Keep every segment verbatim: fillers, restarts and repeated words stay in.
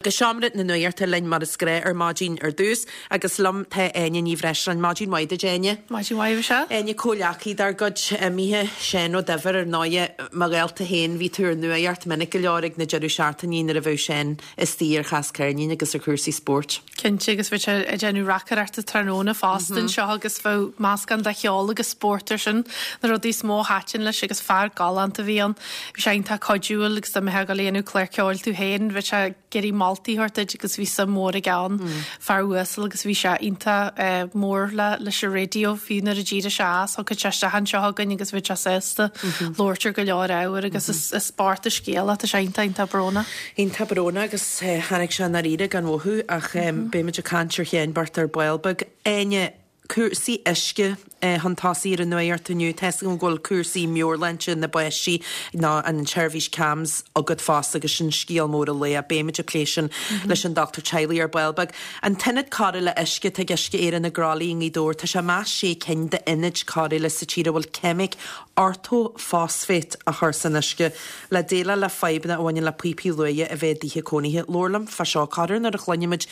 Go seomra na nuachta linn mar is gnách ar maidin ar dtús agus liom tá Áine Ní Bhreisleáin. Maidin mhaith duit, Áine. Maidin mhaith sea. Áine comhghleacaí dár gcuid imithe Seán Ó Duibhir ar ndóighe mo ghaolta féin bhí tú ar nuacht minic go leor ag na deireadh seachtainí nuair a bheadh Seán istigh ar chas ceirnín agus ar chúrsaí spóirt. Cinnte agus bhí sé ag déanamh reacaireachta tráthnóna fosta anseo agus bheadh meascán de cheol agus spórt ar sin na rudaí is mó a thaitin leis agus fear galánta a bhí ann. Bhí sé iontach cuidiúil agus dá mbeifeá ag dul a dhéanamh clár ceoil tú féin, bhí sé ag iarraidh moltaí a thabhairt duit agus bhí suim mhór aige ann. Fear uasal agus bhí sé iontach eh, mór le leis an raidió fiú nuair a d'éirigh sé as, thiocfadh sé isteach anseo chugainn agus bhí sé sásta labhairt ar go leor ábhar agus is is spórt a scéal tá sé iontach iontach brónach. Iontach brónach agus eh, tháinig sé dáiríre gan mhothú ach um, beimid ag caint ar Sheán bocht ar ball beag. Áine cúrsaí uisce eh, chun tosaigh ar an nuacht inniu tá go bhfuil cúrsaí meabhairshláinte na bpáistí ná an tseirbhís CAMHS agat fosta agus sin scéal mór an lae beimid ag plé sin leis an dochtúir teaghlaigh ar ball beag. An t-ionad cóireála uisce ag Uisce Éireann i gCroithlí i nGaoth Dobhair tá sé meas sé cinn d'ionaid cóireála sa tír a bhfuil ceimic ortofosfate a chur san uisce le déileáil le fadhbanna a bhaineann le píopaí luaidhe a bheith i dtithe cónaithe. Labhair liom fá seo corruair nuair a chluinimid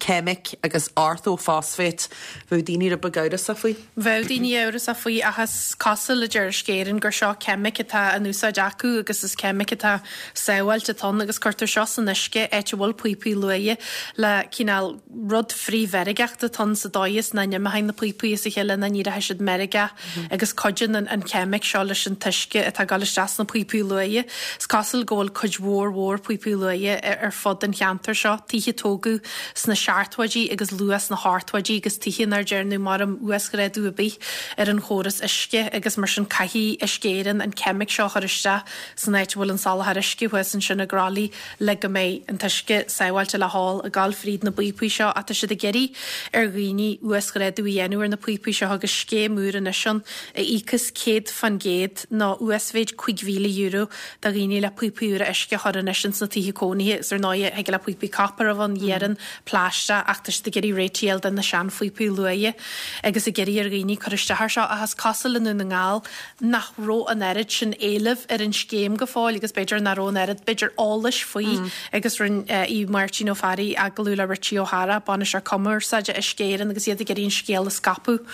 ceimic agus ortofosfate bheadh daoine rud beag amhrasach faoi. Bheadh daoine amhrasach faoi ach is cosúil le deir Uisce Éireann gur seo ceimic atá in úsáid acu agus is ceimic atá sábháilte ann agus cuirtear seo san uisce áit a bhfuil píopaí luaidhe le cineál rud frithmheirgeachta atá ann sa dóigh is nach n-imeoidh na píopaí as a chéile nach n-éireoidh siad meirgeach agus cuidíonn an, an ceimic seo leis an t-uisce atá ag dul isteach sna píopaí luaidhe. Is cosúil go bhfuil cuid mhór mhór píopaí luaidhe ar, ar fud an cheantair seo, tithe tógadh sna seachtóidí agus luath sna hochtóidí agus tithe nár dearnadh mar am uasghrádú ar bith ar an chóras uisce agus mar sin caithfidh Uisce Éireann an ceimic seo chur isteach san áit a bhfuil an soláthar uisce thuas ansin i gCroithlí le go mbeidh an t-uisce sábháilte le hól ag dul fríd na bpíopaí seo ach tá siad ag iarraidh ar dhaoine uasghrádú a dhéanamh ar na píopaí seo agus scéim úr anois ann a íocas céad faoin gcéad nó uasmhéid cúig mhíle euro do dhaoine le píopaí úra uisce a chur anois sna tithe cónaithe is ar ndóigh thig le píopaí copper a bheith iarainn plaisteach ach tá siad ag iarraidh réiteach do na seanphíopaí luaidhe agus ag iarraidh ar dhaoine cur isteach ar seo ach is cosúil i nDún na nGall nach raibh an oiread sin éilimh ar an scéim go fóill agus b'fhéidir nach raibh an oiread b'fhéidir eolais faoi agus rinne í Máirtín Ó Fearraigh agallamh le Richie O'Hara bainisteoir cumarsáide Uisce Éireann agus iad ag iarraidh an scéal a scaipeadh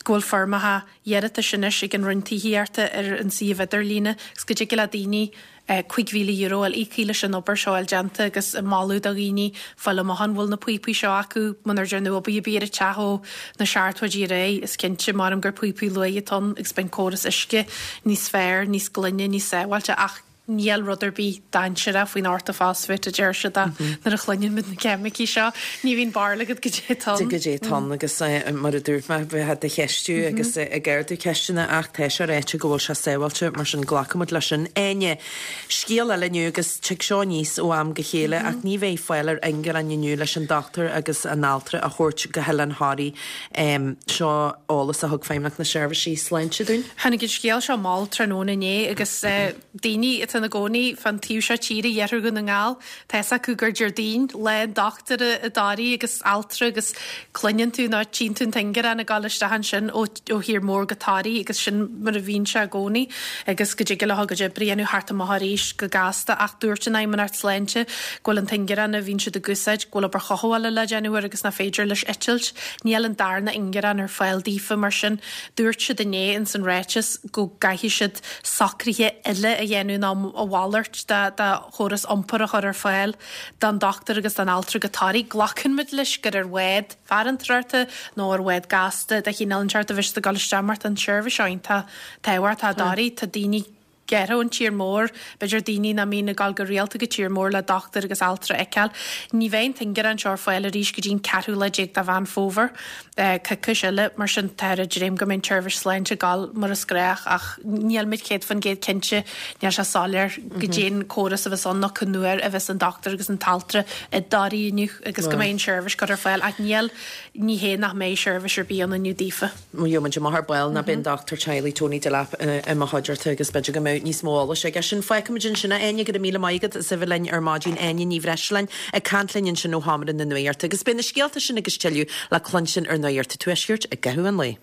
go bhfuil foirmeacha iarratais anois ag an Roinn Tithíochta ar an suíomh idirlíne agus go dtig le daoine cúig mhíle euro a íocaí leis an obair seo déanta agus moladh do dhaoine fáil amach an bhfuil na píopaí seo acu munar dearnadh obair ar bith ar an teach ó na seachtóidí ar aghaidh is cinnte mar gur píopaí luaidhe atá ann agus beidh córas uisce níos fearr, níos glaine, níos sábháilte ach níl rud ar bith dainséarach faoin ortofosfate a deir siad nuair a chluineann muid na ceimicí seo, ní bhíonn barúil agat goidé atá ann. Goidé atá ann agus mar a dúirt mé bheith do cheistiú agus ag ardú ceisteanna ach tá sé ráite go bhfuil sé sábháilte mar sin glacaimid leis sin. Áine, scéal eile inniu agus tig seo aníos ó am go chéile ach ní bheidh fáil ar ingearán inniu leis an dochtúir agus an altra a thabhairt go hOileán Thoraí um, seo eolas a thug Feidhmeannacht na Seirbhísí Sláinte dúinn. Tháinig an scéal seo mall tráthnóna inné agus uh, daoine atá ina gcónaí fan taobh seo tíre iarthar Dhún na nGall Tá acu gur Déardaoin lá an dochtúra i dToraigh agus altra agus cluineann tú nó tchíonn tú an t-ingearán ag dul isteach ansin ó ó thír mór go Toraigh agus sin mar a bhíonn sé i gcónaí agus go dtig le go oibre thart amach arís go gasta ach dúirt an Fheidhmeannacht Sláinte go bhfuil an t-ingearán a bhíonn siad ag úsáid go bhfuil obair chothabhála le déanamh air agus nach féidir leis eitilt, níl an darna ingearán ar fáil daofa mar sin dúirt siad inné in san ráiteas go gcaithfidh siad socruithe eile a dhéanamh ná a mhalairt de de chóras iompair a chur ar fáil don dochtúir agus don altra go Toraigh glacann muid leis gur ar bhád farantóireachta nó ar bhád gasta de chineál inteacht a bheidh siad ag dul isteach mar tá an tseirbhís seo iontach tábhachtach i dToraigh tá daoine gearrtha ón tír mór, b'fhéidir daoine nach mbíonn ag dul go rialta go tír mór le dochtúir agus altra a fheiceáil. Ní bheidh an t-ingearán seo ar fáil arís go dtí an ceathrú lá déag de Mheán Fómhair coicís eile mar sin tá ag dréim go mbeidh an tseirbhís sláinte ag dul mar is gnách ach níl muid céad faoin gcéad cinnte níl sé soiléir goidé'n córas a bheas ann nó cén uair a bheas an dochtúir agus an t-altra i dToraigh inniu agus go mbeidh an seirbhís curtha ar fáil ach níl ní hé nach mbeidh seirbhís ar bith ann inniu daofa. Gheobhaimid amach ar ball ná beidh an dochtúir teaghlaigh Tony Delap i mo chuideachta agus b'fhéidir go mbeidh níos mó eolais aige sin. Fágfaimid ansin Áine go raibh míle maith agat as a bheith linn ar maidin Áine Ní Bhreisleáin ag caint linn ansin ó sheomra na nuachta agus beidh na scéalta sin agus tuilleadh le cluinstin ar Nuacht an Tuaiscirt i gcaitheamh an lae.